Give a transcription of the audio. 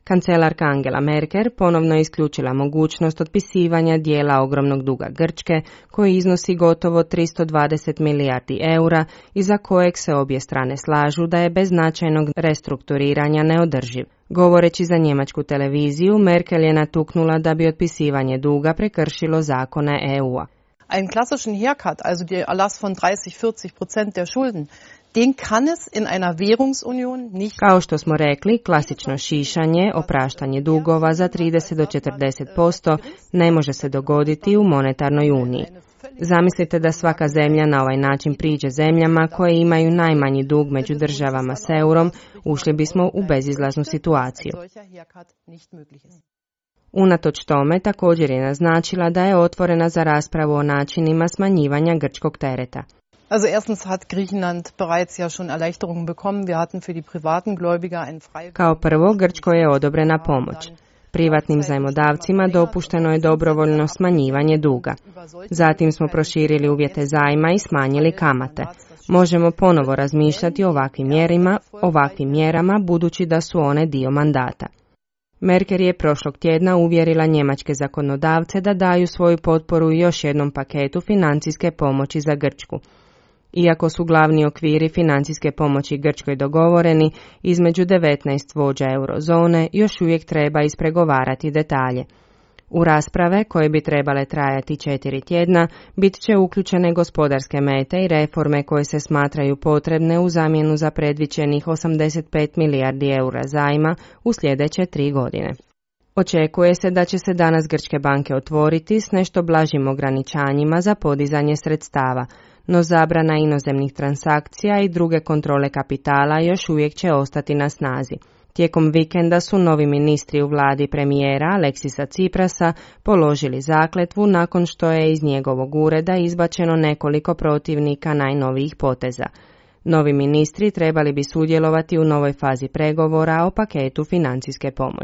Kancelarka Angela Merkel ponovno je isključila mogućnost otpisivanja dijela ogromnog duga Grčke, koji iznosi gotovo 320 milijardi eura i za kojeg se obje strane slažu da je bez značajnog restrukturiranja neodrživ. Govoreći za njemačku televiziju, Merkel je natuknula da bi otpisivanje duga prekršilo zakone EU-a. Einen klassischen Haircut, also der Erlass von 30-40% der Schulden, den kann es in einer Währungsunion nicht. Kao što smo rekli, klasično šišanje, opraštanje dugova za 30 do 40% ne može se dogoditi u monetarnoj uniji. Zamislite da svaka zemlja na ovaj način priđe zemljama koje imaju najmanji dug među državama s eurom, ušli bismo u bezizlaznu situaciju. Unatoč tome također je naznačila da je otvorena za raspravu o načinima smanjivanja grčkog tereta. Also erstens hat Griechenland bereits ja schon Erleichterungen bekommen. Wir hatten für die privaten Gläubiger ein frei. Kao prvo, Grčkoj je odobrena pomoć. Privatnim zajmodavcima dopušteno je dobrovoljno smanjivanje duga. Zatim smo proširili uvjete zajma i smanjili kamate. Možemo ponovo razmišljati o ovakvim mjerama budući da su one dio mandata. Merkel je prošlog tjedna uvjerila njemačke zakonodavce da daju svoju potporu još jednom paketu financijske pomoći za Grčku. Iako su glavni okviri financijske pomoći Grčkoj dogovoreni, između 19 vođa eurozone još uvijek treba ispregovarati detalje. U rasprave, koje bi trebale trajati 4 tjedna, bit će uključene gospodarske mete i reforme koje se smatraju potrebne u zamjenu za predviđenih 85 milijardi eura zajma u sljedeće 3 godine. Očekuje se da će se danas grčke banke otvoriti s nešto blažim ograničanjima za podizanje sredstava, no zabrana inozemnih transakcija i druge kontrole kapitala još uvijek će ostati na snazi. Tijekom vikenda su novi ministri u vladi premijera Aleksisa Tsiprasa položili zakletvu nakon što je iz njegovog ureda izbačeno nekoliko protivnika najnovijih poteza. Novi ministri trebali bi sudjelovati u novoj fazi pregovora o paketu financijske pomoći.